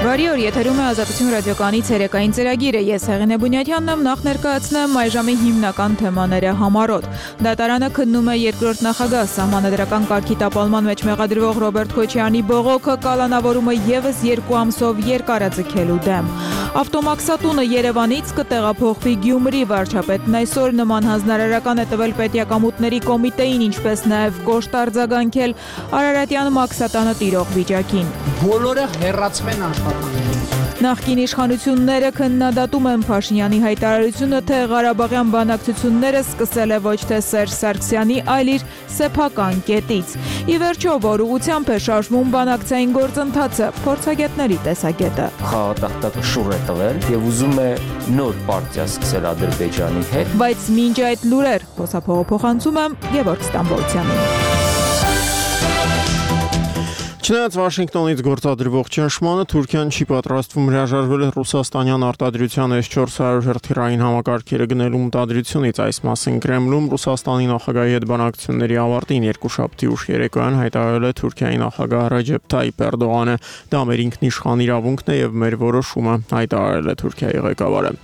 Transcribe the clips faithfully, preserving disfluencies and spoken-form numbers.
Բարի օր, եթերում է Ազատություն ռադիոկայանի ցերեկային ծրագիրը։ Ես Հեղինե Բունյաթյանն եմ, նախ ներկայացնեմ այժմի հիմնական թեմաները համառոտ։ Դատարանը քննում է երկրորդ նախագահ սահմանադրական կարգի տապալման մեջ մեղադրվող Ռոբերտ Քոչարյանի բողոքը կալանավորումը ևս երկու ամսով երկարաձգելու դեմ։ Ավտոմաքսատունը Երևանից կտեղափոխվի Գյումրի, վարչապետն այսօր նման հանձնարարական է տվել պետիակամուտների կոմիտեին, ինչպես նաև կոշտ արձագանքել Արարատյան մաքսատանը տիրող վիճակին։ Բոլորը հեռացվեն աշխատանքներից։ Նախկին իշխանությունները քննադատում են Փաշինյանի հայտարարությունը, թե Ղարաբաղյան բանակցությունները սկսել է ոչ թե Սերժ Սարգսյանի, այլ իր սեփական կետից։ Ի վերջո, որ ուղղությամբ է շարժվում բանակցային գործընթացը, փորձագետների տեսակետը։ Խաղատախտակը շուռ է տվել եւ ուզում է նոր պարտիա սկսել Ադրբեջանի հետ։ Բայց մինչ այդ լուրեր, խոսափողը փոխանցում եմ Գևորգ Ստամբոլցյանին։ Չնայած Վաշինգտոնից գործադրվող ճնշմանը, Թուրքիան չի պատրաստվում հրաժարվել ռուսաստանյան արտադրության էս չորս հարյուր հրթիռային համակարգերը գնելու մտադրությունից։ Այս մասին Կրեմլում Ռուսաստանի նախագահի հետ բանակցությունների ավարտին երկուշաբթի ուշ երեկոյան հայտարարել է Թուրքիայի նախագահ Ռեջեփ Թայիփ Էրդողանը։ Դա մեր ինքնիշխան իրավունքն է եւ մեր որոշումը, հայտարարել է Թուրքիայի ղեկավարը։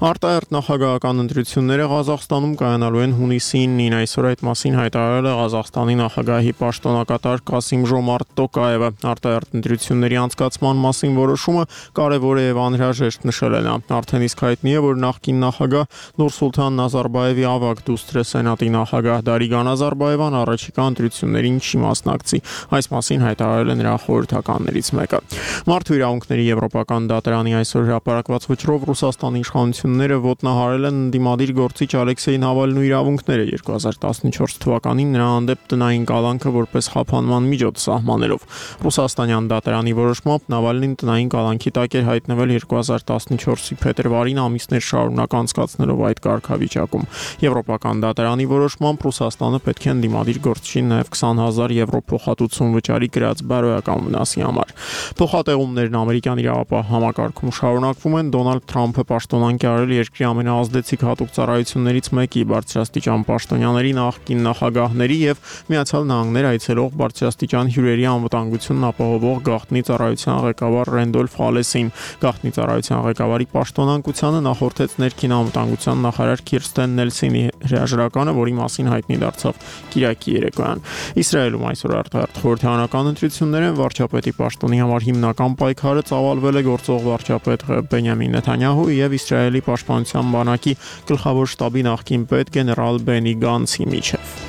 Արտահերթ նախագահական ընտրությունները Ղազախստանում կայանալու են հունիսին ինը։ Այսօր այդ մասին հայտարարել է Ղազախստանի նախագահի պաշտոնակատար Կասիմ Ժոմարտ Տոկայ Արտահերթ ընտրությունների անցկացման մասին որոշումը կարևոր է եւ անհրաժեշտ, նշել է նա։ Արդեն իսկ հայտնի է, որ նախկին նախագահ Նուրսուլթան Նազարբաևի ավագ դուստր է Սենատի նախագահ Դարիգան Նազարբաևան առաջիկա ընտրություններին չի մասնակցի։ Այս մասին հայտարարել է նրա խորհրդականներից մեկը։ Մարդու իրավունքների եվրոպական դատարանի այսօր հրապարակված վճռով Ռուսաստանի իշխանությունները ոտնահարել են ընդդիմադիր գործիչ Ալեքսեյ Նավալնու իրավունքները երկու հազար տասնչորս թվականին նրա հանդեպ տնային կալանքը որպես խափանման միջոց սահմանելով։ Ռուսաստանյան դատարանի որոշմամբ Նավալնին տնային կալանքի տակ էր հայտնվել երկու հազար տասնչորսի փետրվարին ամիսներ շարունակ անցկացնելով այդ կարգավիճակում։ Եվրոպական դատարանի որոշմամբ Ռուսաստանը պետք է ընդդիմադիր գործչին նաև քսան հազար եվրո փոխհատուցում վճարի գրած բարոյական վնասի համար։ Փոխատեղումներն ամերիկյան իրավապահ համակարգում շարունակվում են։ Դոնալդ Թրամփը պաշտոնանկ է արել երկրի ամենաազդեցիկ հատուկ ծառայություններից մեկի բարձրաստիճան պաշտոնյաների նախկին նախագահների եւ Միացյալ Նահանգներ այցելող բարձրաստիճան հյուրերի անվտանգությունն ապահովող գաղտնի ծառայության ղեկավար Ռենդոլֆ Հալեսին։ Գաղտնի ծառայության ղեկավարի պաշտոնակությանը նախորդեց ներքին անվտանգության նախարար Քիրստեն Նելսինի հրաժարականը, որի մասին հայտնի դարձավ կիրակի երեկոյան։ Իսրայելում այսօր արտահերթ խորհրդարանական ընտրություններ են։ Վարչապետի պաշտոնի համար հիմնական պայքարը ծավալվել է գործող վարչապետ Բենյամին Նեթանյահուի եւ Իսրայելի պաշտպանության բանակի գլխավոր շտաբի նախկին պետ գեներալ Բենի Գանցի միջև։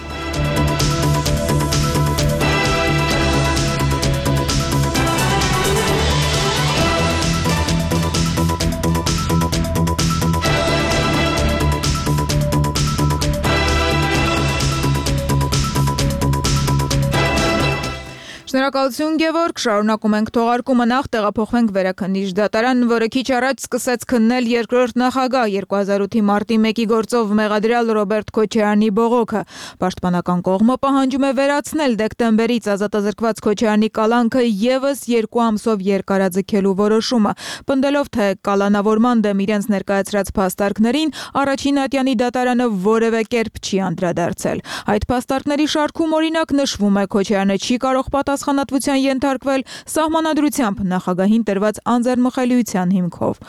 Շնորհակալություն Գևորգ, շարունակում ենք թողարկումը, նախ տեղափոխվենք Վերաքննիչ դատարան, որը քիչ առաջ սկսեց քննել երկրորդ նախագահ երկու հազար ութի մարտի մեկի գործով մեղադրյալ Ռոբերտ Քոչարյանի բողոքը։ Պաշտպանական կողմը պահանջում է վերացնել դեկտեմբերից ազատազրկված Քոչարյանի կալանքը ևս երկու ամսով երկարաձգելու որոշումը, պնդելով, թե կալանավորման դեմ իրենց ներկայացրած փաստարկներին առաջին ատյանի դատարանը որևէ կերպ չի անդրադարձել։ Այդ փաստարկների շարքում օրինակ նշվում է Քոչարյանը չի կարող պատասխանատվության ենթարկվել սահմանադրությամբ նախագահին տրված անձեռնմխելիության հիմքով։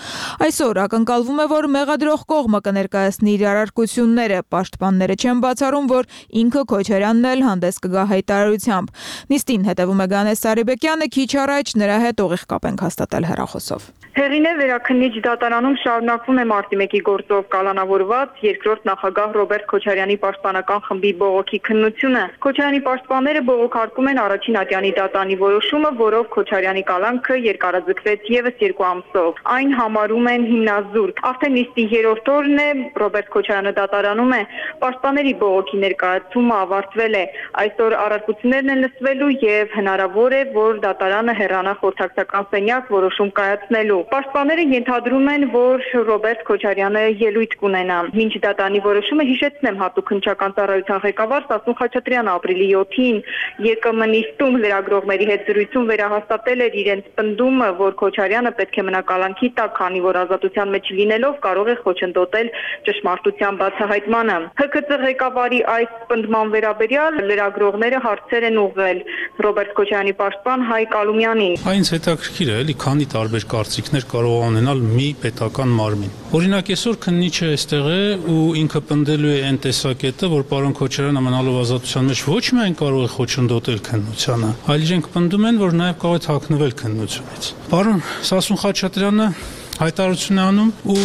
Այսօր ակնկալվում է, որ մեղադրող կողմը կներկայացնի իր առարկությունները, պաշտպանները չեն բացառում, որ ինքը Քոչարյանն էլ հանդես կգա հայտարարությամբ։ Նիստին հետևում է Գանես Սարիբեկյանը, քիչ առաջ նրա հետ ուղիղ կապ ենք հաստատել հեռախոսով։ Հեղինե Վերաքննիչ դատարանում շարունակվում է մարտի մեկի գործով կալանավորված երկրորդ նախագահ Ռոբերտ Քոչարյանի պաշտպանական խմբի բողոքի քննությունը։ Քոչարյանի պաշտպանները բողոքարկում են առաջին ատյանի դատարանի որոշումը, որով Քոչարյանի կալանքը երկարաձգվեց ևս երկու ամսով։ Այն համարում են հիմնազուրկ։ Արդեն նիստի երրորդ օրն է, Ռոբերտ Քոչարյանը դատարանում է, պաշտպանների բողոքի ներկայացումը ավարտվել է։ Այսօր առարկություններն են լսվելու եւ հնարավոր է, որ դատարանը հեռանա խորհրդակցական սենյակ որոշում կայացնելու։ Պաշտպանները ենթադրում են, որ Ռոբերտ Քոչարյանը ելույթ կունենա։ Մինչ դատարանի որոշումը, հիշեցնեմ, հատուկ քննչական ծառայության ղեկավար Սասուն Խաչատրյանը ապրիլի յոթին ԵԿՄ նիստում լրագրողներին լրագրողների հետ զրույցում վերահաստատել էր իրենց պնդումը, որ Քոչարյանը պետք է մնա կալանքի տակ, քանի որ ազատության մեջ լինելով կարող է խոչընդոտել ճշմարտության բացահայտմանը։ Հ K C ղեկավարի այս պնդման վերաբերյալ լրագրողները հարցեր են ուղղել Ռոբերտ Քոչարյանի պաշտպան Հայկ Ալումյանին։ Այնց հետաքրքիր է, էլի քանի տարբեր կարծիքներ կարող է ունենալ մի պետական մարմին։ Օրինակ այսօր քննիչը այստեղ է ու ինքը պնդելու է այն տեսակետը, որ պարոն Քոչարյանը մնալով ազատության մեջ ոչ միայն կարող է խոչընդոտել քննությանը, այլ իրենք պնդում են, որ նաև կարող է թաքնվել քննությունից։ Պարոն Սասուն Խաչատրյանը հայտարարություն է անում ու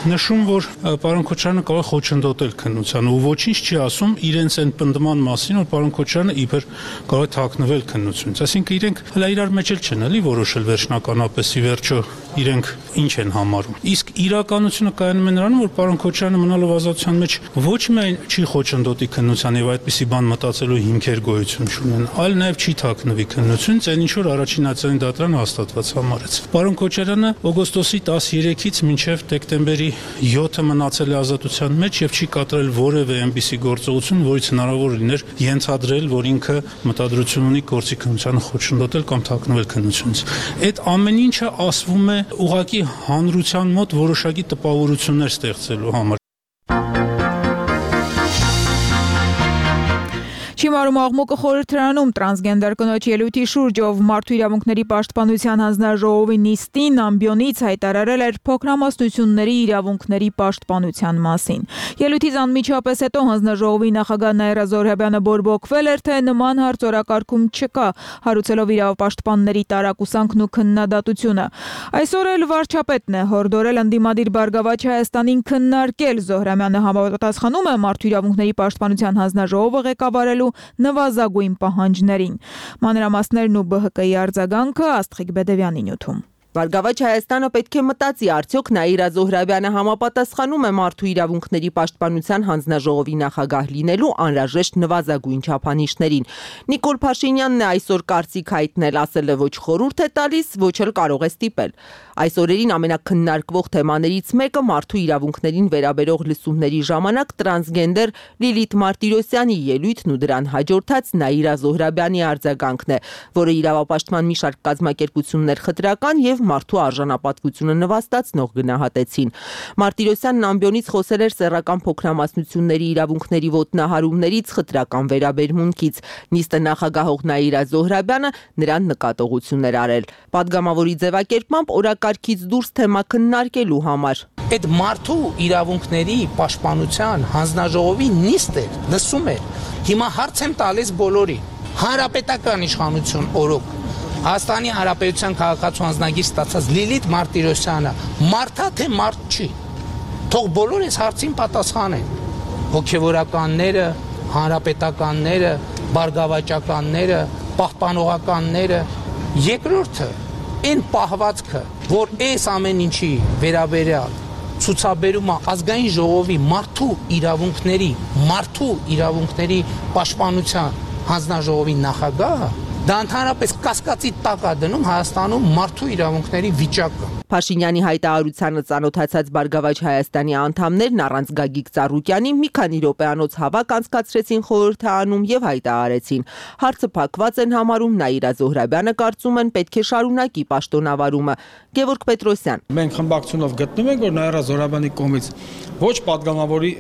նշում, որ պարոն Քոչարյանը կարող է խոչընդոտել քննությանը ու ոչինչ չի ասում իրենց այն պնդման մասին, որ պարոն Քոչարյանը իբր կարող է թաքնվել քննությունից։ Այսինքն իրենք հələ իրար մեջ էլ չեն էլի որոշել վերջնականապես ի վերջո իրենք ինչ են համարում։ Իսկ իրականությունը կայանում է նրանում, որ պարոն Քոչարյանը մնալով ազատության մեջ ոչ միայն չի խոչընդոտի քննության եւ այդպիսի բան մտածելու հիմքեր գոյություն չունեն, այլ նաեւ չի թաքնվի քննությունից, այն ինչ որ առաջին ացանի դատարանը հաստատված համարեց։ Պարոն Քոչարյանը օգոստոսի տասներեքից մինչև դեկտեմբերի յոթը մնացել է ազատության մեջ եւ չի կատարել որևէ այնպիսի գործողություն, որից հնարավոր լիներ ենթադրել, որ ինքը մտադրություն ունի գործի քննությանը խոչընդոտել կամ թաքնվել քննությունից։ Այդ ամեն ինչը ասվում է ուղղակի հանրության մոտ որոշակի տպավորություններ ստեղծելու համար։ Չիմարում աղմուկը խորհրդարանում տրանսգենդեր կնոջ ելույթի շուրջ, ով մարդու իրավունքների պաշտպանության հանձնաժողովի նիստին ամբիոնից հայտարարել էր փոքրամասնությունների իրավունքների պաշտպանության մասին։ Ելույթից անմիջապես հետո հանձնաժողովի նախագահ Նաիրա Զոհրաբյանը բորբոքվել էր, թե նման հարց օրակարգում չկա, հարուցելով իրավապաշտպանների տարակուսանքն ու քննադատությունը։ Այսօր էլ վարչապետն է հորդորել ընդդիմադիր Բարգավաճ Հայաստանին քննարկել։ Զոհրաբյանը համապատասխանում է մարդու իրավունքների պաշտպանության հանձնաժողովը ղեկավարելու նվազագույն պահանջներին։ Մանրամասներն ու B H K-ի արձագանքը Աստղիկ Բեդևյանի նյութում։ Բարգավաճ Հայաստանը պետք է մտածի, արդյոք Նաիրա Զոհրաբյանը համապատասխանում է մարդու իրավունքների պաշտպանության հանձնաժողովի նախագահ լինելու անհրաժեշտ նվազագույն չափանիշներին։ Նիկոլ Փաշինյանն է այսօր կարծիք հայտնել, ասել է ոչ խորհուրդ է տալիս, ոչ էլ կարող է ստիպել։ Այս օրերին ամենակննարկվող թեմաներից մեկը մարդու իրավունքներին վերաբերող լսումների ժամանակ տրանսգենդեր Լիլիթ Մարտիրոսյանի ելույթն ու դրան հաջորդած Նաիրա Զոհրաբյանի արձագանքն է, որը իրավապաշտպան մի շարք կազմակերպություններ խտրական եւ մարդու արժանապատվությունը նվաստացնող գնահատեցին։ Մարտիրոսյանն ամբիոնից խոսել էր սեռական փոքրամասնությունների իրավունքների ոտնահարումներից, խտրական վերաբերմունքից։ Նիստը նախագահող Նաիրա Զոհրաբյանը նրան նկատողություններ արել։ Պատգամավորի ձևակերպմամբ օրակարգից դուրս թեմա քննարկելու համար։ Այդ մարդու իրավունքների պաշտպանության հանձնաժողովի նիստը լսում է։ Հիմա հարց եմ տալիս բոլորին։ Հանրապետական իշխանություն օրոք Հայաստանի Հանրապետության քաղաքացու անձնագիր ստացած Լիլիթ Մարտիրոսյանը մարդա թե մարդ չի։ Թող բոլոր այս հարցին պատասխանեն։ Հոգևորականները, հանրապետականները, բարգավաճականները, պահպանողականները, երկրորդը այն պահվածքը, որ այս ամեն ինչի վերաբերյալ ցուցաբերումը ազգային ժողովի մարդու իրավունքների, մարդու իրավունքների պաշտպանության հանձնաժողովի նախագահը դա ընդհանրապես կասկածի տակ է դնում Հայաստանում մարդու իրավունքների վիճակը։ Փաշինյանի հայտարարությանը ծանոթացած Բարգավաճ Հայաստանի անդամներն առանց Գագիկ Ծառուկյանի մի քանի րոպեանոց հավաք անցկացրեցին խորհրդարանում եւ հայտարարեցին. հարցը փակված են համարում, Նաիրա Զոհրաբյանը կարծում են պետք է շարունակի պաշտոնավարումը։ Գևորգ Պետրոսյան. Մենք խմբակցությունով գտնում ենք, որ Նաիրա Զոհրաբյանի կողմից ոչ падգամավորի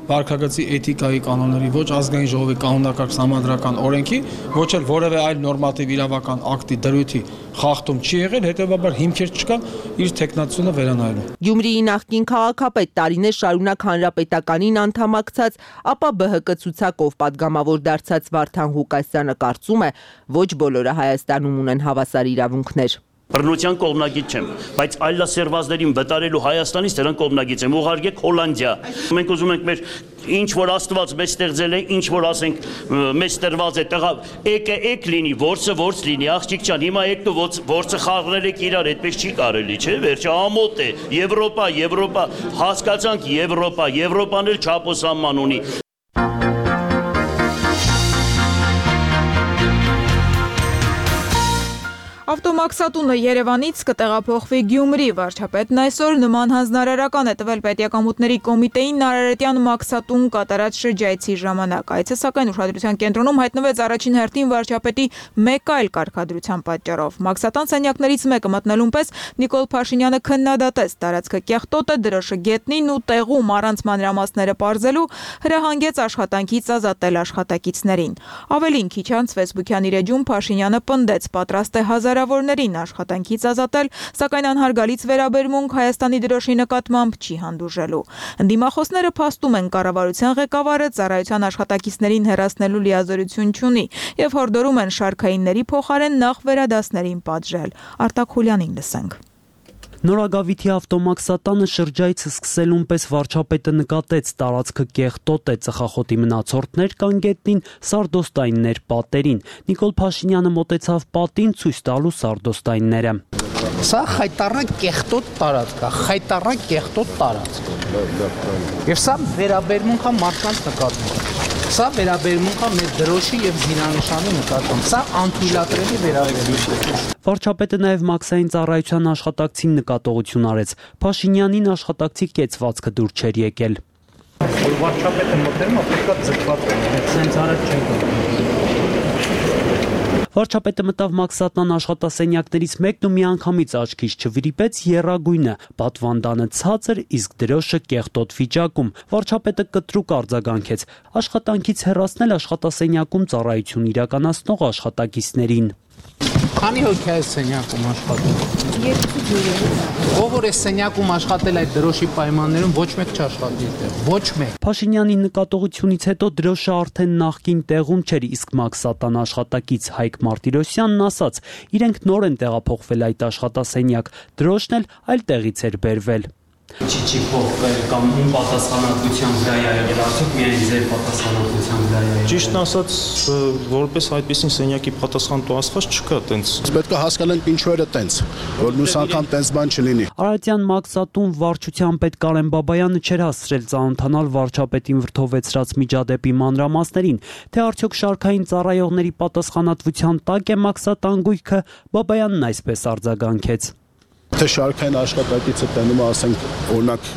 վարքագծի էթիկայի կանոնների, ոչ ազգային ժողովի կանոնակարգ համանդրական օրենքի, ոչ էլ որևէ այլ նորմատիվ իրավական ակտի դրույթի խախտում չի եղել, հետեւաբար հիմքեր չկա իր տեխնացությունը վերանայելու։ Գյումրիի նախկին քաղաքապետ տարիներ շարունակ հանրապետականին անդամակցած, ապա B H K ցուցակով падգամավոր դարձած Վարդան Ղուկասյանը կարծում է, ոչ բոլորը Հայաստանում ունեն հավասար իրավունքներ։ Բռնության կողմնակից չեմ, բայց այլասերվածներին վտարելու Հայաստանից դրան կողմնակից եմ, ուղարկեք Հոլանդիա։ Մենք ուզում ենք մեր ինչ որ Աստված մեզ ստեղծել է, ինչ որ ասենք մեզ տրված է, տղա, եկե եկ լինի, որսը որս լինի, աղջիկ ջան, հիմա եկեք որսը խաղրել եք իրար, այդպես չի կարելի, չէ՞, վերջը ամոթ է, Եվրոպա, Եվրոպա, հասկացանք Եվրոպա, Եվրոպան էլ չափոսանման ունի։ Ավտոմաքսատունը Երևանից կտեղափոխվի Գյումրի։ Վարչապետն այսօր նման հանձնարարական է տվել Պետիակամուտների կոմիտեին Նարարետյան մաքսատուն կատարած շրջայցի ժամանակ։ Այցը սակայն ուշադրության կենտրոնում հայտնվեց առաջին հերթին վարչապետի մեկ այլ կարգադրության պատճառով։ Մաքսատան սենյակներից մեկը մտնելուն պես Նիկոլ Փաշինյանը քննադատեց տարածքը կեղտոտ է, դրոշը գետնին ու տեղում առանց մանրամասները պարզելու հրահանգեց աշխատանքից ազատել աշխատակիցներին։ Ավելին քիչ անց Facebook-յան իր էջում Փաշինյանը պնդեց պատրաստ է հազարավորներին աշխատանքից ազատել, սակայն անհարգալից վերաբերմունք Հայաստանի դրոշի նկատմամբ չի հանդուրժելու։ Ընդդիմախոսները փաստում են կառավարության ղեկավարը ծառայության աշխատակիցներին հեռացնելու լիազորություն չունի եւ հորդորում են շարքայինների փոխարեն նախ վերադասներին պատժել։ Արտակ Խուլյանին լսենք։ Նորագավիթի ավտոմաքսատանը շրջայցը սկսելուն պես վարչապետը նկատեց տարածքը կեղտոտ է, ծխախոտի մնացորդներ կան գետնին, սարդոստայիններ պատերին։ Նիկոլ Փաշինյանը մոտեցավ պատին ցույց տալու սարդոստայինները։ Սա խայտառակ կեղտոտ տարածք է, խայտառակ կեղտոտ տարածք։ Եվ սա վերաբերմունք է մարդկանց նկատմամբ։ Սա վերաբերմունք է մեր դրոշի եւ զինանշանի նկատմամբ։ Սա անթույլատրելի վերաբերմունք է։ Վարչապետը նաև մաքսային ծառայության աշխատակցին նկատողություն արեց։ Փաշինյանին աշխատակցի կեցվածքը դուր չէր եկել։ Վարչապետը մոտենում է, պետք է ձգված լինի, սենց արած չենք։ Վարչապետը մտավ մաքսատնան աշխատասենյակներից մեկն ու միանգամից աչքից չվրիպեց եռագույնը, պատվանդանը ցածր, իսկ դրոշը կեղտոտ վիճակում։ Վարչապետը կտրուկ արձագանքեց. աշխատանքից հեռացնել աշխատասենյակում ծառայություն իրականացնող աշխատակիցներին։ Քանի հոգի է սենյակում աշխատում։ Երկու ջուրը։ Ով որ է սենյակում աշխատել այդ դրոշի պայմաններում ոչ մեկ չաշխատի այդտեղ, ոչ մեկ։ Փաշինյանի նկատողությունից հետո դրոշը արդեն նախկին տեղում չէր, իսկ մաքսատան աշխատակից Հայկ Մարտիրոսյանն ասաց, իրենք նոր են տեղափոխվել այդ աշխատասենյակ, դրոշն էլ այլ տեղից էր բերվել։ Չի չի փոխվել կամ ում պատասխանատվության վրա է եղել, արդյոք միայն ձեր պատասխանատվության վրա է եղել։ Ճիշտն ասած, որպես այդպիսին սենյակի պատասխանատու ասված չկա տենց։ Պետք է հասկանանք ինչու էր տենց, որ մյուս անգամ տենց բան չլինի։ Արարատյան մաքսատուն վարչության պետ Կարեն Բաբայանը չէր հասցրել ծանոթանալ վարչապետին վրթովեցրած միջադեպի մանրամասներին, թե արդյոք շարքային ծառայողների պատասխանատվության տակ է մաքսատան գույքը, Բաբայանն այսպես արձագանքեց։ Թե շարքային աշխատակիցը տենում է, ասենք, օրինակ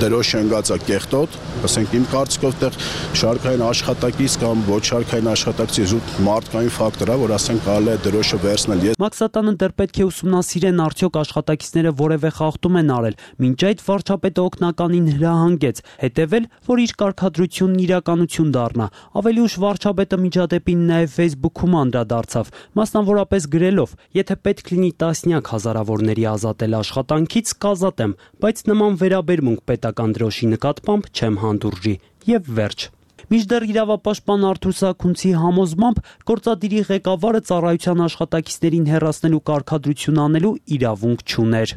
դրոշ ընկած է կեղտոտ, ասենք իմ կարծիքով տեղ շարքային աշխատակից կամ ոչ շարքային աշխատակցի զուտ մարդկային ֆակտոր է, որ ասենք կարելի է դրոշը վերցնել։ Մաքսատանը դեռ պետք է ուսումնասիրեն արդյոք աշխատակիցները որևէ խախտում են արել։ Մինչ այդ վարչապետը օգնականին հրահանգեց հետևել, որ իր կարգադրությունն իրականություն դառնա։ Ավելի ուշ վարչապետը միջադեպին նաև Facebook-ում անդրադարձավ, մասնավորապես գրելով. եթե պետք լինի տասնյակ հազարավորների ազատել աշխատանքից, կազատեմ, բայց նման վերաբերմունք պետական դրոշի նկատմամբ չեմ հանդուրժի եւ վերջ։ Մինչդեռ իրավապաշտպան Արթուր Սաքունցի համոզմամբ գործադիրի ղեկավարը ծառայության աշխատակիցներին հեռացնելու կարգադրություն անելու իրավունք չուներ։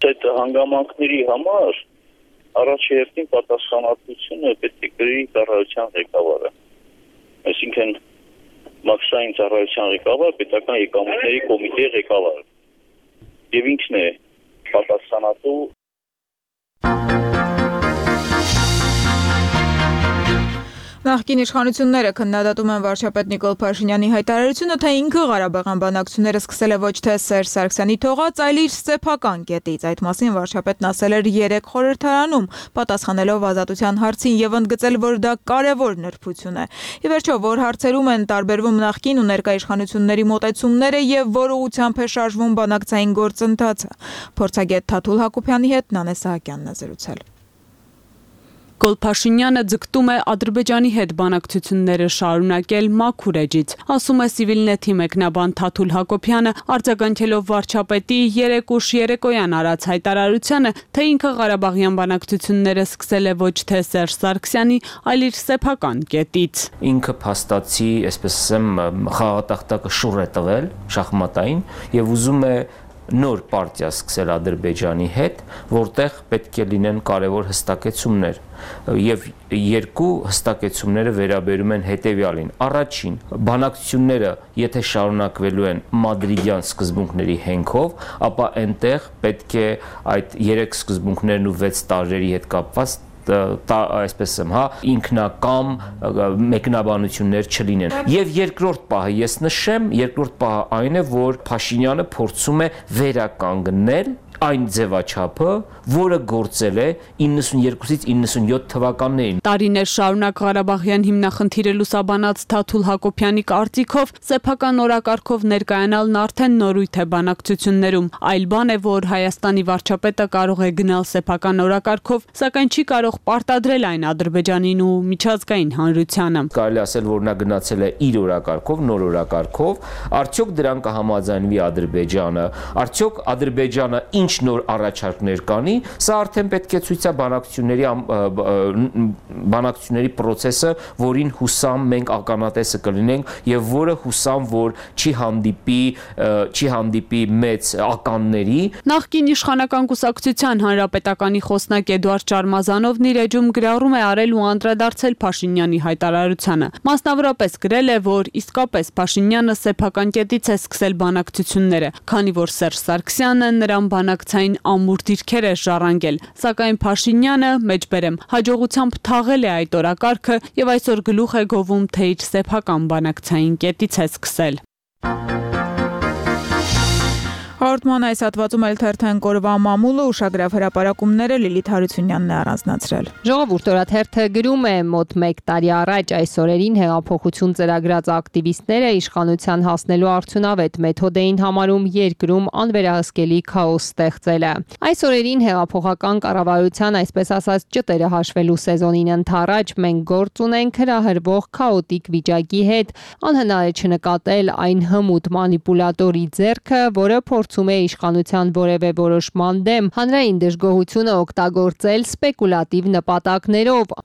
Այդ հանգամանքների համար առաջերտին պատասխանատվությունը պետք է կրի ծառայության ղեկավարը։ Այսինքն մաքսային ծառայության ղեկավար, պետական եկամուտների կոմիտեի ղեկավարը։ Եվ ինքն է պատասխանատու։ Նախկին իշխանությունները քննադատում են վարչապետ Նիկոլ Փաշինյանի հայտարարությունը, թե ինքը Ղարաբաղյան բանակցությունները սկսել է ոչ թե Սերժ Սարգսյանի թողած, այլ իր սեփական կետից։ Այդ մասին վարչապետն ասել էր երեք խորհրդարանում, պատասխանելով ազատության հարցին եւ ընդգծել, որ դա կարեւոր նրբություն է։ Ի վերջո, որ հարցերում են տարբերվում նախկին ու ներկա իշխանությունների մոտեցումները եւ որ ուղղությամբ է շարժվում բանակցային գործընթացը։ Փորձագետ Թաթուլ Հակոբյանի հետ Նանե Սահակյանն է զրուցել։ Նիկոլ Փաշինյանը ձգտում է Ադրբեջանի հետ բանակցությունները շարունակել մաքուր էջից, ասում է Civilnet-ի մեկնաբան Թաթուլ Հակոբյանը, արձագանքելով վարչապետի երեք ուշ երեկոյան արած հայտարարությանը, թե ինքը Ղարաբաղյան բանակցությունները սկսել է ոչ թե Սերժ Սարգսյանի, այլ իր սեփական կետից։ Ինքը փաստացի, այսպես ասեմ, խաղատախտակը շուռ է տվել շախմատային եւ ուզում է նոր պարտիա սկսել Ադրբեջանի հետ, որտեղ պետք է լինեն կարևոր հստակեցումներ եւ երկու հստակեցումները վերաբերում են հետեւյալին. առաջին, բանակցությունները եթե շարունակվելու են մադրիդյան սկզբունքների հենքով, ապա այնտեղ պետք է այդ երեք սկզբունքներն ու վեց տարրերի հետ կապված այսպես եմ, հա, ինքնակամ մեկնաբանություններ չլինեն։ Եվ երկրորդ պահը ես նշեմ, երկրորդ պահը այն է, որ Փաշինյանը փորձում է վերականգնել այն ձևաչափը, որը գործել է իննսունյերկուսից իննսունյոթ թվականներին։ Տարիներ շարունակ Ղարաբաղյան հիմնախնդիրը լուսաբանած Թաթուլ Հակոբյանի կարծիքով սեփական օրակարգով ներկայանալն արդեն նորույթ է բանակցություններում, այլ բան է, որ Հայաստանի վարչապետը կարող է գնալ սեփական օրակարգով, սակայն չի կարող պարտադրել այն Ադրբեջանին ու միջազգային հանրությանը։ Կարելի ասել, որ նա գնացել է իր օրակարգով, նոր օրակարգով, արդյոք դրան կհամաձայնվի Ադրբեջանը, արդյոք Ադրբեջանը ինչ նոր առաջարկներ կանի, սա արդեն պետք է ցույց տա բանակցությունների բանակցությունների process-ը, որին հուսամ մենք ականատեսը կլինենք եւ որը հուսամ, որ չի հանդիպի չի հանդիպի մեծ ականների։ Նախկին իշխանական կուսակցության հանրապետականի խոսնակ Էդուարդ Շարմազանովն իր էջում գրառում է արել ու անդրադարձել Փաշինյանի հայտարարությանը։ Մասնավորապես գրել է, որ իսկապես Փաշինյանը սեփական կետից է սկսել բանակցությունները, քանի որ Սերժ Սարգսյանը նրան բանակցային ամուր դիրքեր է ժառանգել, սակայն Փաշինյանը, մեջբերեմ, հաջողությամբ թաղել է այդ օրակարգը եւ այսօր գլուխ է գովում, թե իր սեփական բանակցային կետից է սկսել։ Հաղորդման այս հատվածում էլ թերթեն կորվա մամուլը ուշագրավ հրապարակումները Լիլիթ Հարությունյանն է առանձնացրել։ Ժողովուրդ օրաթերթը գրում է մոտ մեկ տարի առաջ այս օրերին հեղափոխություն ծրագրած ակտիվիստները իշխանության հասնելու արդյունավետ մեթոդ էին համարում երկրում անվերահսկելի քաոս ստեղծելը։ Այս օրերին հեղափոխական կառավարության այսպես ասած ճտերը հաշվելու սեզոնին ընթառաջ մենք գործ ունենք հրահրվող քաոտիկ վիճակի հետ, անհնար է չնկատել այն հմուտ մանիպուլատորի ձեռքը, որը փորձում է իշխանության որևէ որոշման դեմ հանրային դժգոհությունը օգտագործել սպեկուլատիվ նպատակներով։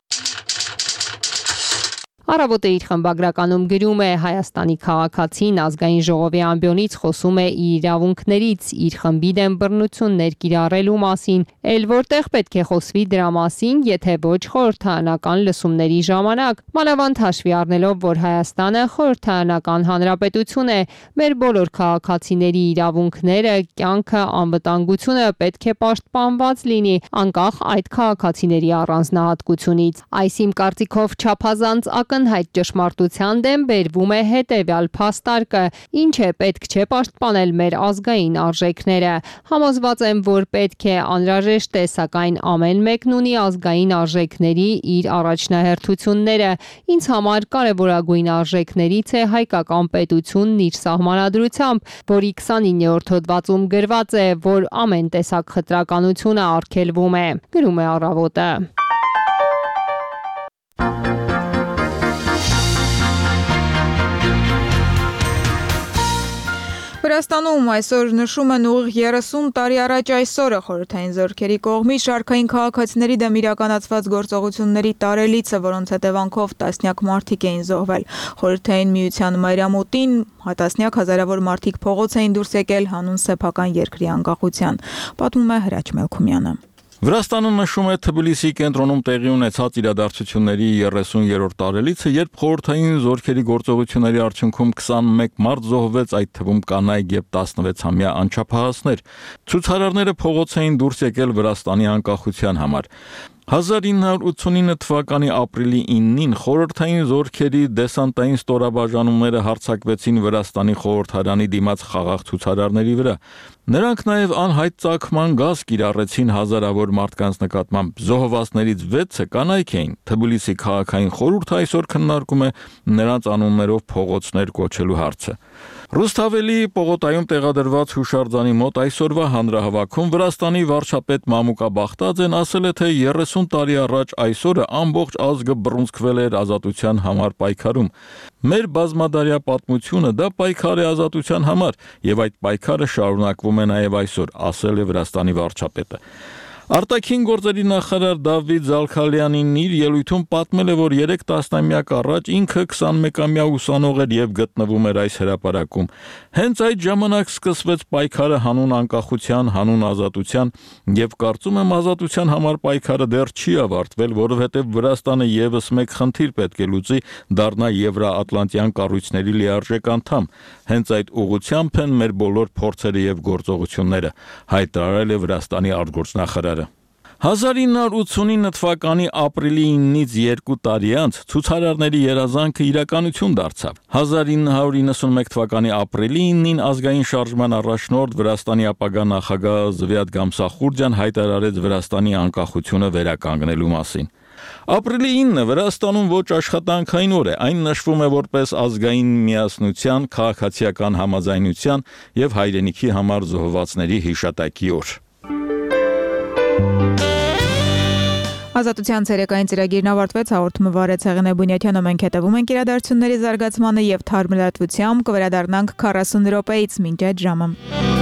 Առավոտը իր խմբագրականում գրում է Հայաստանի քաղաքացին ազգային ժողովի ամբիոնից խոսում է իր իրավունքներից, իր խմբի դեմ բռնություններ կիրառելու մասին, ել որտեղ պետք է խոսվի դրա մասին, եթե ոչ խորհրդարանական լսումների ժամանակ, մանավանդ հաշվի առնելով, որ Հայաստանը խորհրդարանական հանրապետություն է, մեր բոլոր քաղաքացիների իրավունքները, կյանքը, անվտանգությունը պետք է պաշտպանված լինի, անկախ այդ քաղաքացիների առանձնահատկությունից։ Այս իմ կարծիքով չափազանց ակնհայտ ճշմարտության դեմ բերվում է հետևյալ փաստարկը, ինչ է պետք չէ պաշտպանել մեր ազգային արժեքները։ Համոզված եմ, որ պետք է անհրաժեշտ է, սակայն ամեն մեկն ունի ազգային արժեքների իր առաջնահերթությունները։ Ինձ համար կարևորագույն արժեքներից է հայկական պետությունն իր սահմանադրությամբ, որի քսանիններորդ հոդվածում գրված է, որ ամեն տեսակ խտրականությունը արգելվում է։ Գրում է Առավոտը։ Վրաստանում այսօր նշում են ուղիղ երեսուն տարի առաջ այսօրը խորհրդային զորքերի կողմից շարքային քաղաքացիների դեմ իրականացված գործողությունների տարելիցը, որոնց հետևանքով տասնյակ մարդիկ էին զոհվել։ Խորհրդային միության մայրամուտին տասնյակ հազարավոր մարդիկ փողոց էին դուրս եկել հանուն սեփական երկրի անկախության, պատմում է Հրաչ Մելքումյանը։ Վրաստանը նշում է Թբիլիսի կենտրոնում տեղի ունեցած իրադարձությունների երեսուներորդ տարելիցը, երբ խորհրդային զորքերի գործողությունների արդյունքում քսանմեկ մարդ զոհվեց, այդ թվում կանայք եւ տասնվեցամյա անչափահասներ։ Ցուցարարները փողոց էին դուրս եկել Վրաստանի անկախության համար։ հազար ինը հարյուր ութսունինը թվականի ապրիլի իննին խորհրդային զորքերի դեսանտային ստորաբաժանումները հարձակվեցին Վրաստանի խորհրդարանի դիմաց խաղաղ ցուցարարների վրա։ Նրանք նաև անհայտ ծագման գազ կիրառեցին հազարավոր մարդկանց նկատմամբ։ Զոհվածներից վեցը կանայք էին։ Թբիլիսի քաղաքային խորհուրդը այսօր քննարկում է նրանց անուններով փողոցներ կոչելու հարցը։ Ռուսթավելի պողոտայում տեղադրված հուշարձանի մոտ այսօրվա հանրահավաքում Վրաստանի վարչապետ Մամուկա Բախտաձեն ասել է, թե երեսուն տարի առաջ այսօրը ամբողջ ազգը բռունցքվել էր ազատության համար պայքարում։ Մեր բազմադարյա պատմությունը դա պայքար է ազատության համար, եւ այդ պայքարը շարունակվում է նաեւ այսօր, ասել է Վրաստանի վարչապետը։ Արտաքին գործերի նախարար Դավիթ Զալքալյանին իր ելույթում պատմել է, որ երեք տասնամյակ առաջ ինքը քսանմեկամյա ուսանող էր եւ գտնվում էր այս հրապարակում։ Հենց այդ ժամանակ սկսվեց պայքարը հանուն անկախության, հանուն ազատության, եւ կարծում եմ ազատության համար պայքարը դեռ չի ավարտվել, որովհետեւ Վրաստանը եւս մեկ խնդիր պետք է լուծի, դառնա Եվրոատլանտյան կառույցների լիարժեք անդամ։ Հենց այդ ուղղությամբ են մեր բոլոր փորձերը եւ գործողությունները, հայտարարել է Վրաստանի արտգործնախարարը։ հազար ինը հարյուր ութսունինը թվականի ապրիլի իննից երկու տարի անց ցուցարարների երազանքը իրականություն դարձավ։ հազար ինը հարյուր իննսունմեկ թվականի ապրիլի իննին ազգային շարժման առաջնորդ Վրաստանի ապագա նախագահ Զվյատ Գամսախուրդյան հայտարարեց Վրաստանի անկախությունը վերականգնելու մասին։ Ապրիլի ինը Վրաստանում ոչ աշխատանքային օր է, այն նշվում է որպես ազգային միասնության, քաղաքացիական համաձայնության եւ հայրենիքի համար զոհվածների հիշատակի օր։ Ազատության ցերեկային ծրագիրն ավարտվեց, հաղորդումը վարեց Հեղինե Բունյաթյանը, մենք հետևում ենք իրադարձությունների զարգացմանը եւ թարմ լրատվությամբ կվերադառնանք քառասուն րոպեից մինչ այդ ժամը։